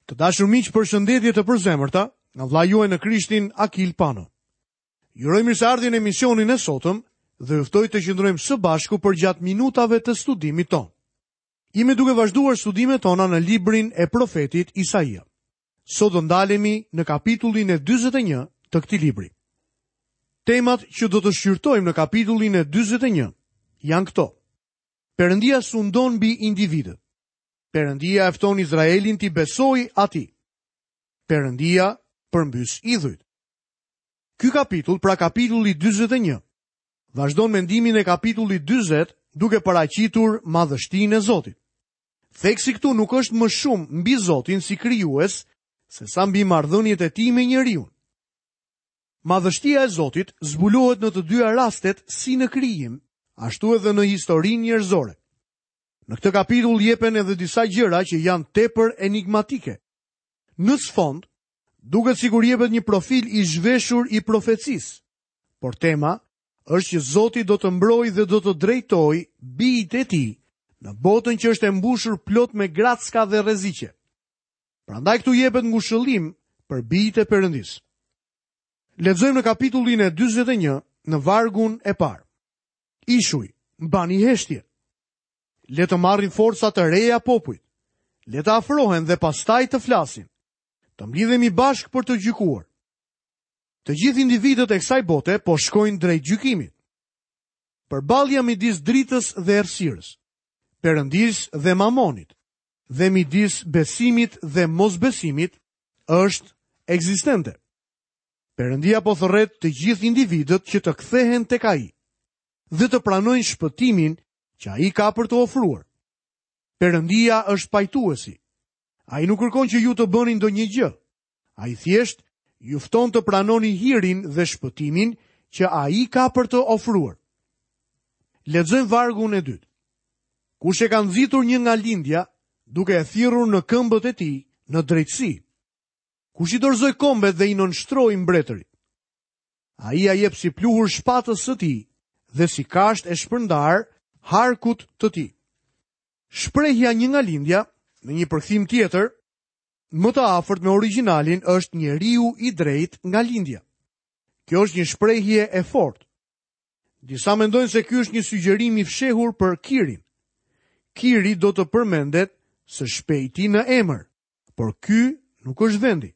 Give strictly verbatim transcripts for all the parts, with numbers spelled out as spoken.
Të dashur miq, përshëndetje të përzemërta nga vëllai juaj në Krishtin Akil Pano. Ju uroj mirëseardhjen në emisionin e sotëm dhe ju ftoj të qëndrojmë së bashku përgjatë minutave të studimit tonë. Jemi duke vazhduar studimet tona në librin e profetit Isaia. Sot do ndalemi në kapitullin e dyzet e një të këtij libri. Temat që do të shqyrtojmë në kapitullin e dyzet e një janë këto. Perëndia sundon mbi individët. Perëndia e fton Izraelin t'i besojë atij. Perëndia përmbys idhujt. Ky kapitull, pra kapitulli dyzet e një, vazhdon mendimin e kapitullit dyzet duke paraqitur madhështinë e Zotit. Theksi këtu nuk është më shumë mbi Zotin si krijues, se sa mbi marrëdhëniet e tij me njeriun. Madhështia e Zotit zbulohet në të dyja rastet si në krijim, ashtu edhe në historinë njerëzore. Në këtë kapitull jepen edhe disa gjëra që janë tepër enigmatike. Në sfond, duket sikur jepet një profil i zhveshur i profecisë, por tema është që Zoti do të mbrojë dhe do të drejtojë bijtë e tij në botën që është e mbushur plot me gracka dhe rreziqe. Prandaj këtu jepet ngushëllim për bijtë e Perëndisë. Lexojmë në kapitullin e dyzet e një në vargun e parë. Ishuj, mbani heshtje. Le të marrin forca të reja popujt. Le të afrohen dhe pastaj të flasin. Të mblidhemi bashkë për të gjykuar. Të gjithë individët e kësaj bote po shkojnë drejt gjykimit. Përballja midis dritës dhe errësirës, Perëndisë dhe Mamonit, dhe midis besimit dhe mosbesimit është ekzistente. Perëndia po thërret të gjithë individët që të kthehen tek ai dhe të pranojnë shpëtimin që ai ka për të ofruar. Perëndia është pajtuesi. Ai nuk kërkon që ju të bëni ndonjë gjë. Ai thjesht ju fton të pranoni hirin dhe shpëtimin që ai ka për të ofruar. Lexojmë vargun e dytë. Kush e ka nxitur një nga lindja, duke e thirrur në këmbët e tij në drejtësi? Kush i dorëzoi kombet dhe i nënshtroi mbretërit? Ai ia jep si pluhur shpatës së tij dhe si kasht e shpërndar harkut të tij. Shprehja një nga lindja, në një përkthim tjetër, më të afërt me origjinalin është njeriu i drejtë nga lindja. Kjo është një shprehje e fortë. Disa mendojnë se ky është një sugjerim i fshehur për Kirin. Kiri do të përmendet së shpejti në emër, por ky nuk është vendi.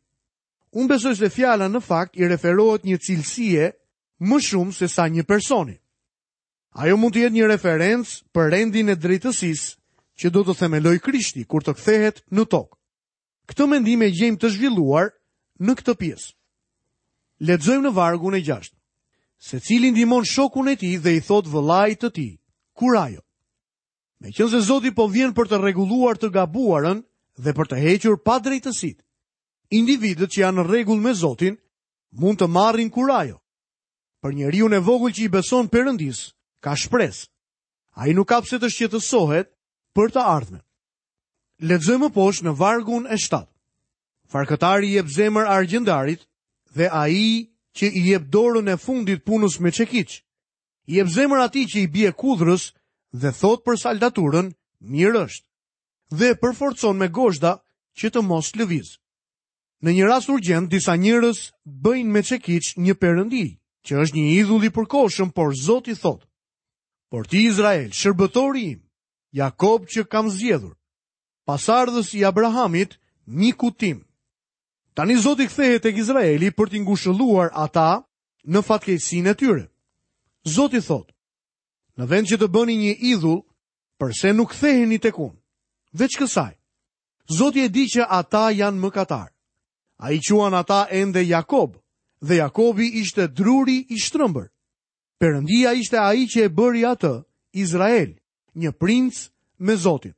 Unë besoj se fjala në fakt i referohet një cilësie më shumë se sa një personi. Ajo mund të jetë një referencë për rendin e drejtësisë që do të themelojë Krishti kur të kthehet në tokë. Këtë mendim e gjejmë të zhvilluar në këtë pjesë. Lexojmë në vargun e gjashtë. Secili ndihmon shokun e tij dhe i thot vëllait të tij, kurajo. Meqense Zoti po vjen për të rregulluar të gabuarën dhe për të hequr padrejtësitë, individët që janë në rregull me Zotin mund të marrin kurajo. Për njeriun e vogël që i beson Perëndisë, ka shpresë. Ai nuk ka pse të shqetësohet për të ardhmen. Lexojmë më poshtë në vargun e shtatë. Farkëtari i jep zemër argjendarit dhe ai që i jep dorën e fundit punës me çekiç, i jep zemër atij që i bie kudhrës dhe thot për saldaturën, mirë është, dhe përforcon me gozhda që të mos lëviz. Në një rast urgjent, disa njerëz bëjnë me çekiç një perëndi, që është një idhull i përkohshëm, por Zoti thot: Por ti Izrael, shërbëtori im, Jakob që kam zgjedhur, pasardhës i Abrahamit, mikut tim. Tani Zoti kthehet tek Izraeli për t'i ngushëlluar ata në fatkeqësinë e tyre. Zoti thot: Në vend që të bëni një idhull, përse nuk ktheheni tek unë? Veç kësaj, Zoti e di që ata janë mëkatar. Ai quan ata ende Jakob, dhe Jakobi ishte druri i shtrëmbër. Perëndia ishte ai që e bëri atë, Izrael, një princ me Zotin.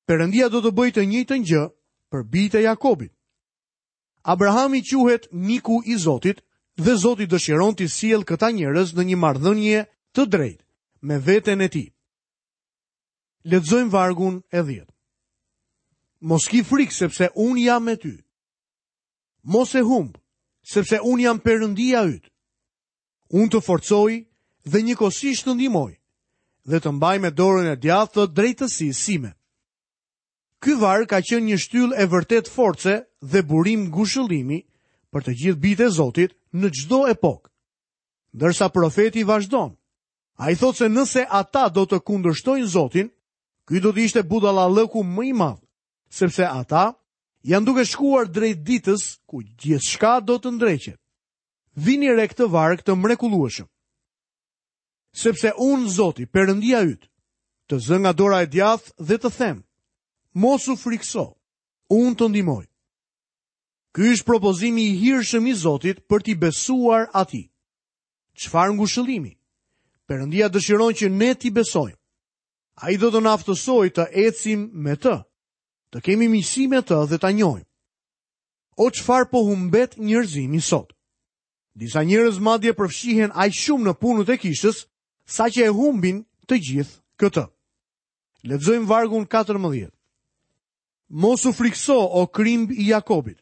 Perëndia do të bëjë të njëjtën gjë për bijtë e Jakobit. Abrahami quhet miku i Zotit dhe Zoti dëshiron t'i sjellë këta njerëz në një marrëdhënie të drejtë me veten e tij. Lexojmë vargun e dhjetë. Mos ki frikë sepse unë jam me ty. Mos e humb, sepse unë jam Perëndia yt. Unë të forcoj dhe njëkohësisht të ndihmoj dhe të mbaj me dorën e djathtë të drejtësisë sime. Ky varg ka qenë një shtyllë e vërtetë force dhe burim ngushëllimi për të gjithë bijtë e Zotit në çdo epokë. Ndërsa profeti vazhdon, ai thotë se nëse ata do të kundërshtojnë Zotin, ky do të ishte budallallëku më i madh, sepse ata janë duke shkuar drejt ditës ku gjithçka do të ndreqet. Vini re këtë varg të mrekullueshëm. Sepse unë, Zoti, Perëndia yt, të zë nga dora e djathtë dhe të them, mos u frikso, unë të ndihmoj. Ky është propozimi i hirshëm i Zotit për t'i besuar atij. Çfarë ngushëllimi? Perëndia dëshiron që ne t'i besojmë. Ai do të na aftësojë të ecim me të, të kemi miqësi me të dhe ta njohim. O çfarë po humbet njerëzimi sot? Disa njerëz madje përfshihen aq shumë në punët e kishës, saqë e humbin të gjithë këtë. Lexojmë vargun katërmbëdhjetë. Mos u frikso, o krimb i Jakobit.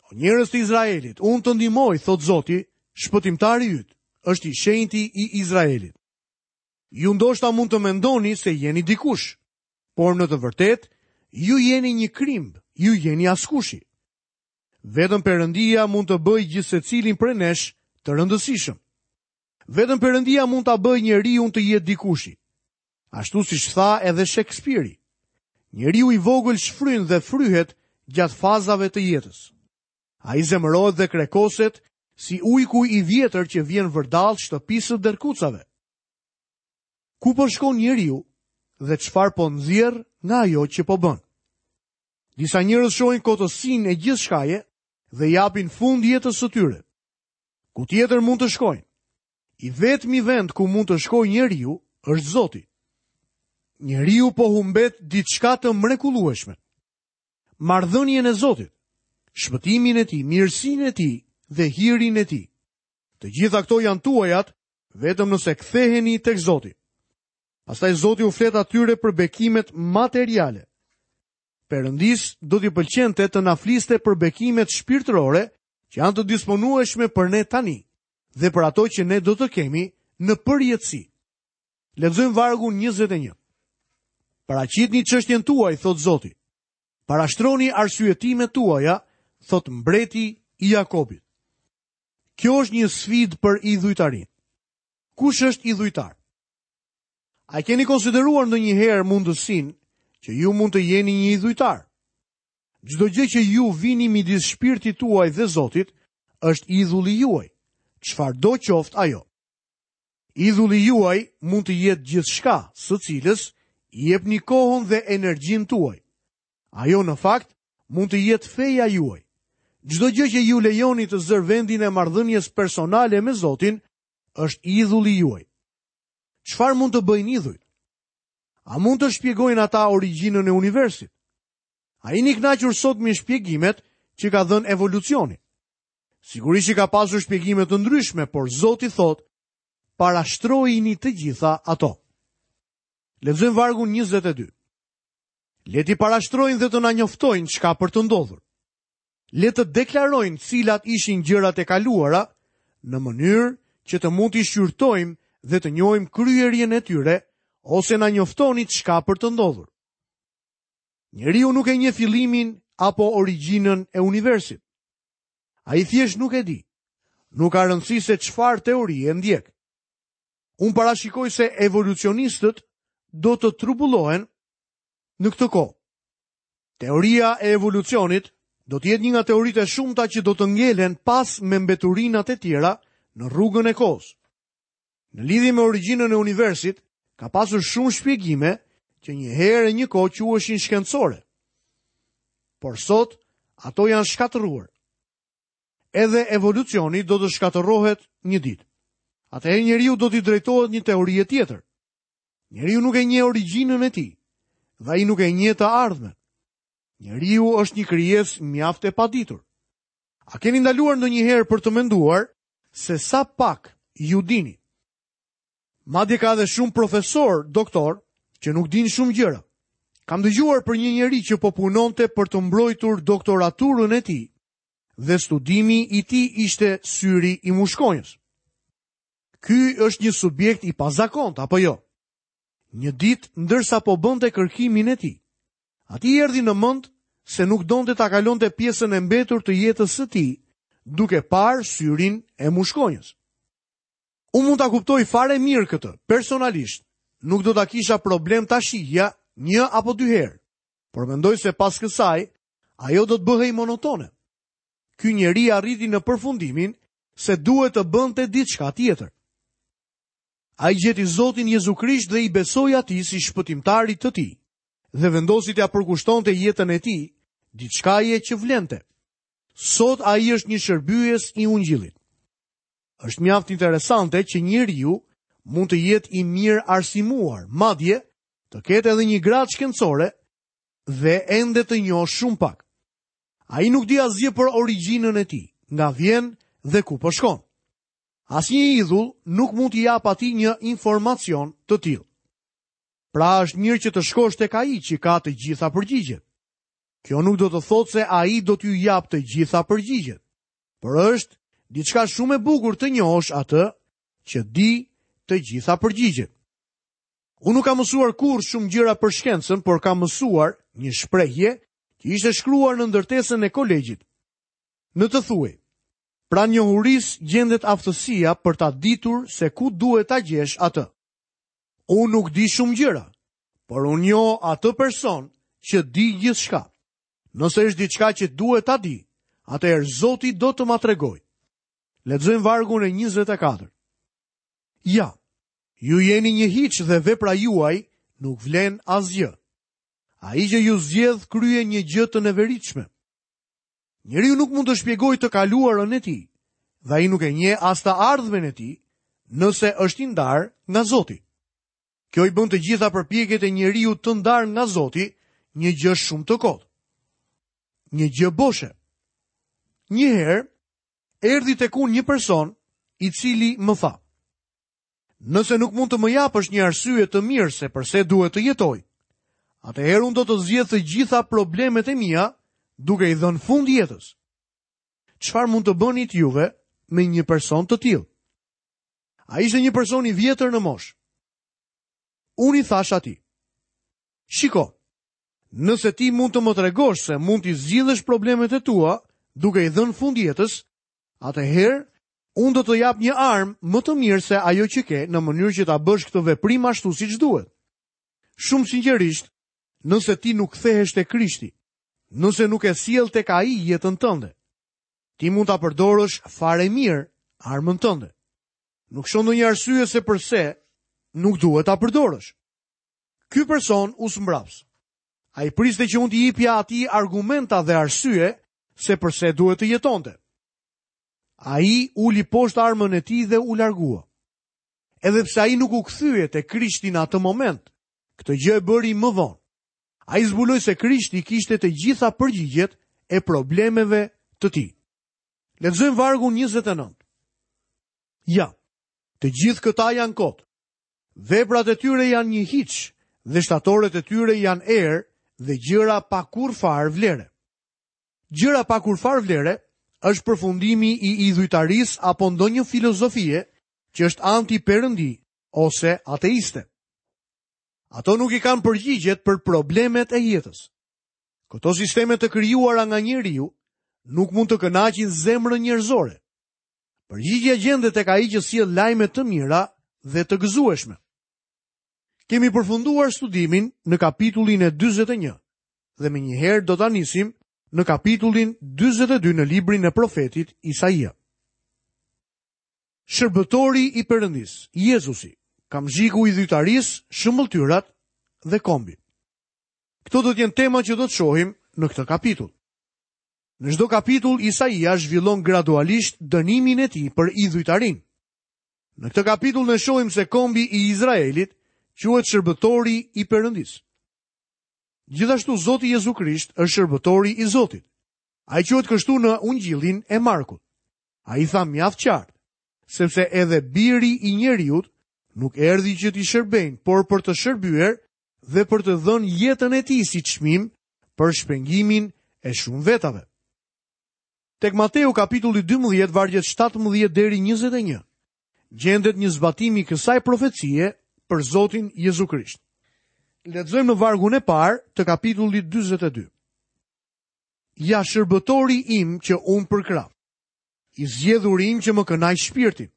O njerëz të Izraelit, unë të ndihmoj, thotë Zoti, shpëtimtari yt, është i shenjti i Izraelit. Ju ndoshta mund të mendoni se jeni dikush, por në të vërtetë ju jeni një krimb, ju jeni askushi. Vetëm Perëndia mund të bëjë gjithsecilin prej nesh të rëndësishëm. Vetëm Perëndia mund ta bëjë njeriun të jetë dikushi. Ashtu siç tha edhe Shekspiri, njeriu i vogël shfryn dhe fryhet gjatë fazave të jetës. Ai zemërohet dhe krekoset si ujku i vjetër që vjen vërdall shtëpisë së derkucave. Ku po shkon njeriu dhe çfarë po nxjerr nga ajo që po bën? Disa njerëz shohin kotësinë e gjithçkaje dhe japin fund jetës së tyre. Ku tjetër mund të shkojnë? I vetmi vend ku mund të shkojë njeriu është Zoti. Njeriu po humbet diçka të mrekullueshme. Marrëdhënien e Zotit, shpëtimin e tij, mirësinë e tij dhe hirin e tij. Të gjitha këto janë tuajat vetëm nëse ktheheni tek Zoti. Pastaj Zoti u flet atyre për bekimet materiale. Perëndis do t'i pëlqente të na fliste për bekimet shpirtërore që janë të disponueshme për ne tani dhe për ato që ne do të kemi në përjetësi. Lexojmë vargun njëzet e një. Paraqitni çështjen tuaj, thot Zoti. Parashtroni arsyetimet tuaja, thot mbreti i Jakobit. Kjo është një sfidë për idhujtarinë. Kush është idhujtar? A keni konsideruar ndonjëherë mundësinë që ju mund të jeni një idhujtar? Çdo gjë që ju vini midis shpirtit tuaj dhe Zotit është idhulli juaj, çfarëdo qoftë ajo. Idhulli juaj mund të jetë gjithçka, së cilës i jepni kohën dhe energjinë tuaj. Ajo në fakt mund të jetë feja juaj. Çdo gjë që ju lejoni të zërë vendin e marrëdhënies personale me Zotin është idhulli juaj. Çfarë mund të bëjnë idhujt? A mund të shpjegojnë ata origjinën e universit? A jeni kënaqur sot me shpjegimet që ka dhënë evolucioni? Sigurisht që ka pasur shpjegime të ndryshme, por Zoti thotë, parashtrojini të gjitha ato. Lexojmë vargun njëzet e dy. Le t'i parashtrojnë dhe të na njoftojnë çka për të ndodhur. Le të deklarojnë cilat ishin gjërat e kaluara, në mënyrë që të mund t'i shqyrtojmë dhe të njohim kryerjen e tyre, ose na njoftoni çka për të ndodhur. Njeriu nuk e njeh fillimin apo origjinën e universit. Ai thjesht nuk e di. Nuk ka rëndësi se çfarë teorie ndjek. Unë parashikoj se evolucionistët do të trubullohen në këtë kohë. Teoria e evolucionit do të jetë një nga teoritë e shumta që do të ngelen pas me mbeturinat e tjera në rrugën e kohës. Në lidhje me origjinën e universit, ka pasur shumë shpjegime që një herë e një kohë quheshin shkencore. Por sot, ato janë shkatërruar. Edhe evolucioni do të shkatërrohet një ditë. Atëherë njeriu do t'i drejtohet një teorie tjetër. Njeriu nuk e njeh origjinën e tij dhe ai nuk e njeh të ardhmen. Njeriu është një krijesë mjaft e paditur. A keni ndaluar ndonjëherë për të menduar se sa pak ju dini? Madje ka edhe shumë profesor, doktor, që nuk dinë shumë gjëra. Kam dëgjuar për një njeri që po punonte për të mbrojtur doktoraturën e tij dhe studimi i tij ishte syri i mushkonjës. Ky është një subjekt i pazakont, apo jo? Një ditë, ndërsa po bënte kërkimin e tij, Atij i erdhi në mend se nuk donte ta kalonte pjesën e mbetur të jetës së tij, duke parë syrin e mushkonjës. Unë mund ta kuptoj fare mirë këtë, personalisht. Nuk do ta kisha problem ta shihja një apo dy herë, por mendoj se pas kësaj ajo do të bëhej monotone. Ky njeri arriti në përfundimin se duhet të bënte diçka tjetër. Ai gjeti Zotin Jezu Krisht dhe i besoi atij si shpëtimtarit të tij dhe vendosi t'ia përkushtonte jetën e tij diçkaje që vlente. Sot ai është një shërbyes i ungjillit. Është mjaft interesante që njeriu mund të jetë i mirë arsimuar, madje të ketë edhe një gradë shkencore dhe ende të njohë shumë pak. Ai nuk di asgjë për origjinën e tij, nga vjen dhe ku po shkon. Asnjë idhull nuk mund t'i japë atij një informacion të tillë. Pra është mirë që të shkosh tek ai që ka të gjitha përgjigjet. Kjo nuk do të thotë se ai do t'ju japë të gjitha përgjigjet, por është diçka shumë e bukur të njohësh atë që di të gjitha përgjigjet. Unë nuk kam mësuar kurrë shumë gjëra për shkencën, por kam mësuar një shprehje që ishte shkruar në ndërtesën e kolegjit. Në të thuhej: "Pranë njohurisë gjendet aftësia për ta ditur se ku duhet ta gjesh atë." Unë nuk di shumë gjëra, por unë njoh atë person që di gjithçka. Nëse është diçka që duhet ta di, atëherë Zoti do të ma tregojë. Lexojmë vargun e njëzet e katër. Ja, ju jeni një hiç dhe vepra juaj nuk vlen asgjë. Ai që ju zgjedh kryen një gjë të neveritshme. Njeriu nuk mund të shpjegojë të kaluarën e tij, dhe ai nuk e njeh as të ardhmen e tij, nëse është i ndarë nga Zoti. Kjo i bën të gjitha përpjekjet e njeriu të ndarë nga Zoti një gjë shumë të kotë. Një gjë boshe. Një herë erdhi tek unë një person i cili më tha: "Nëse nuk mund të më japësh një arsye të mirë se përse duhet të jetoj, atëherë unë do të zgjedh të gjitha problemet e mia duke i dhënë fund jetës." Çfarë mund të bënit juve me një person të tillë? Ai ishte një person i vjetër në moshë. Unë i thash atij: "Shiko, nëse ti mund të më tregosh se mund t'i zgjidhësh problemet e tua duke i dhënë fund jetës, atëherë unë do të jap një armë më të mirë se ajo që ke në mënyrë që ta bësh këtë veprim ashtu siç duhet." Shumë sinqerisht, nëse ti nuk kthehesh te Krishti, nëse nuk e sjell tek ai jetën tënde, ti mund ta përdorësh fare mirë armën tënde. Nuk shoh ndonjë arsye se përse nuk duhet ta përdorësh. Ky person u smbraps. Ai priste që unë t'i jepja atij argumenta dhe arsye se përse duhet të jetonte. Ai uli poshtë armën e tij dhe u largua. Edhe pse ai nuk u kthye te Krishti në atë moment, këtë gjë e bëri më vonë. Ai zbuloi se Krishti kishte të gjitha përgjigjet e problemeve të tij. Lexojmë vargun njëzet e nëntë. Ja, të gjithë këta janë kot. Veprat e tyre janë një hiç dhe shtatoret e tyre janë erë dhe gjëra pa kurrfar vlere. Gjëra pa kurrfar vlere është përfundimi i idhujtarisë apo ndonjë filozofie që është anti-perëndi ose ateiste. Ato nuk i kanë përgjigjet për problemet e jetës. Këto sisteme të krijuara nga njeriu nuk mund të kënaqin zemrën njerëzore. Përgjigjja gjendet tek ai që sjell lajme të mira dhe të gëzueshme. Kemi përfunduar studimin në kapitullin e dyzet e një dhe menjëherë do ta nisim në kapitullin dyzet e dy në librin e profetit Isaia. Shërbëtori i Perëndis, Jezusi, kamzhiku i idhujtarisë, shëmbëlltyrat dhe kombi. Këto do të jenë tema që do të shohim në këtë kapitull. Në çdo kapitull Isaia zhvillon gradualisht dënimin e tij për idhujtarinë. Në këtë kapitull ne shohim se kombi i Izraelit quhet shërbëtori i Perëndis. Gjithashtu Zoti Jezu Krisht është shërbëtori i Zotit. Ai quhet kështu në Ungjillin e Markut. Ai tha mjaft qartë, sepse edhe biri i njeriut nuk erdhi që t'i shërbejnë, por për të shërbyer dhe për të dhënë jetën e tij si çmim për shpengimin e shumë vetave. Tek Mateu kapitulli dymbëdhjetë, vargjet shtatëmbëdhjetë deri njëzet e një, gjendet një zbatim i kësaj profecie për Zotin Jezu Krisht. Lexojmë në vargun e parë të kapitullit dyzet e dy. Ja shërbëtori im që unë përkrah, i zgjedhuri im që më kënaq shpirtin.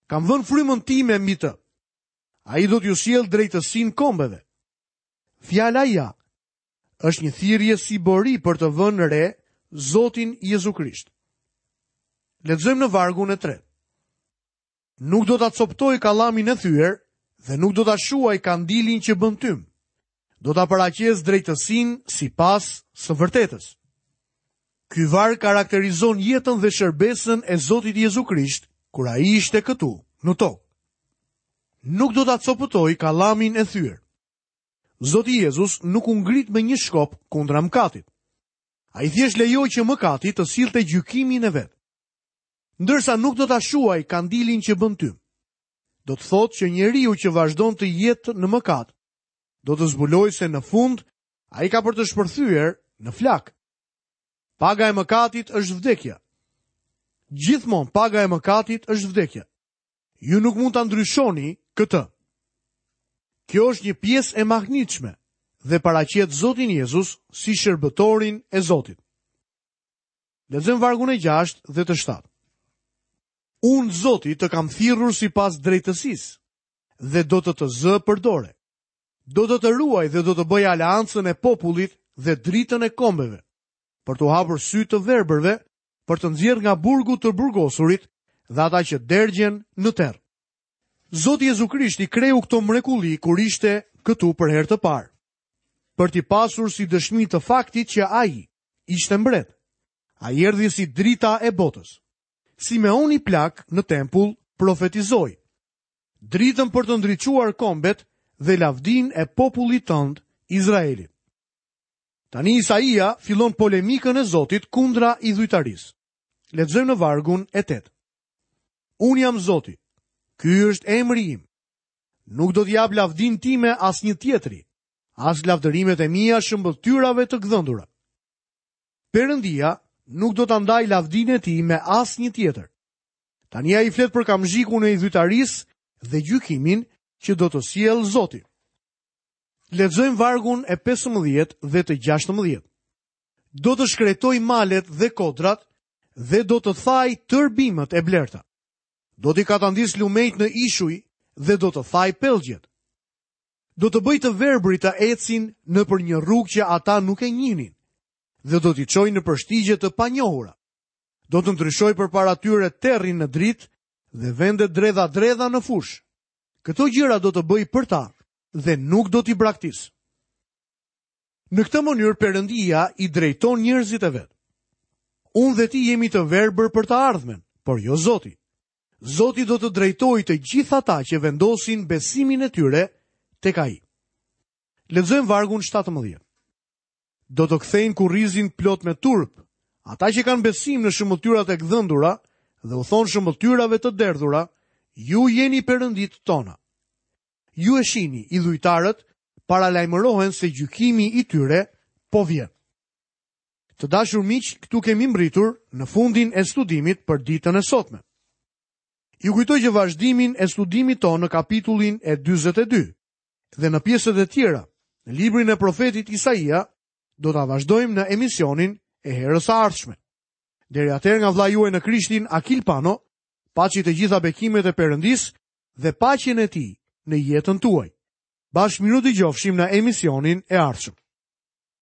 Kam vënë frymën time mbi të. Ai do t'ju sjellë drejtësinë kombeve. Fjala ja është një thirrje si bori për të vënë re Zotin Jezu Krisht. Lexojmë në vargun e tretë. Nuk do ta coptoj kallamin e thyer dhe nuk do ta shuaj kandilin që bën tym. Do ta paraqes drejtësinë sipas së vërtetës. Ky varg karakterizon jetën dhe shërbesën e Zotit Jezu Krisht kur ai ishte këtu në tokë. Nuk do ta copëtoj kallamin e thyer. Zoti Jezus nuk u ngrit me një shkop kundra mëkatit. Ai thjesht lejoi që mëkati të sillte gjykimin e vet. Ndërsa nuk do ta shuaj kandilin që bën tym. Do të thotë që njeriu që vazhdon të jetë në mëkat, do të zbulojë se në fund ai ka për të shpërthyer në flak. Paga e mëkatit është vdekja. Gjithmonë paga e mëkatit është vdekja. Ju nuk mund ta ndryshoni këtë. Kjo është një pjesë e mahnitshme dhe paraqet Zotin Jezus si shërbëtorin e Zotit. Lexojmë vargun e gjashtë dhe të shtatë. Unë, Zoti, të kam thirrur sipas drejtësisë dhe do të të zë për dore. Do të të ruaj dhe do të bëj aleancën e popullit dhe dritën e kombeve, për t'u hapur sy të verbërve, për të nxjerrë nga burgu të burgosurit dhe ata që dergjen në terr. Zoti Jezu Krishti kreu këto mrekulli kur ishte këtu për herë të parë, për t'i pasur si dëshmi të faktit që ai ishte mbret. Ai erdhi si drita e botës. Simeoni plak në tempull profetizoi dritën për të ndriçuar kombet dhe lavdin e popullit tënd Izraelit. Tani Isaia fillon polemikën e Zotit kundra idhujtarisë. Lexojmë në vargun e tetë. Unë jam Zoti. Ky është emri im. Nuk do t'jap lavdin time asnjë tjetri, as lavdërimet e mia shëmbëlltyrave të gdhendura. Perëndia nuk do ta ndaj lavdinë e tij me asnjë tjetër. Tani ai flet për kamzhikun e idhujtarisë dhe gjykimin që do të sjellë Zoti. Lexojmë vargun e pesëmbëdhjetë dhe të gjashtëmbëdhjetë. Do të shkretoj malet dhe kodrat dhe do të thaj tërë bimët e blerta. Do t'i katandis lumejt në ishuj dhe do të thaj pellgjet. Do të bëj të verbrit të ecin nëpër një rrugë që ata nuk e njihnin dhe do t'i çoj në përshtigje të panjohura. Do të ndryshoj përpara tyre terrin në dritë dhe vendet dredha-dredha në fushë. Këto gjëra do të bëj për ta dhe nuk do t'i braktis. Në këtë mënyrë Perëndia i drejton njerëzit e vet. Unë dhe ti jemi të verbër për të ardhmen, por jo Zoti. Zoti do të drejtojë të gjithë ata që vendosin besimin e tyre tek ai. Lexojmë vargun shtatëmbëdhjetë. Do të kthejnë kurrizin plot me turp, ata që kanë besim në shëmbëlltyrat e gdhendura dhe u thonë shëmbëlltyrave të derdhura, ju jeni perëndit tona. Ju e shihni, idhujtarët paralajmërohen se gjykimi i tyre po vjen. Të dashur miq, këtu kemi mbritur në fundin e studimit për ditën e sotme. Ju kujtoj që vazhdimin e studimit tonë në kapitullin e dyzet e dy dhe në pjesët e tjera, në librin e profetit Isaia, do ta vazhdojmë në emisionin e herës së ardhshme. Deri atëherë nga vëllai juaj në Krishtin, Akil Pano, paçi të gjitha bekimet e Perëndisë dhe paqen e tij në jetën tuaj. Bashkë mirë dëgjofshim në emisionin e ardhshëm.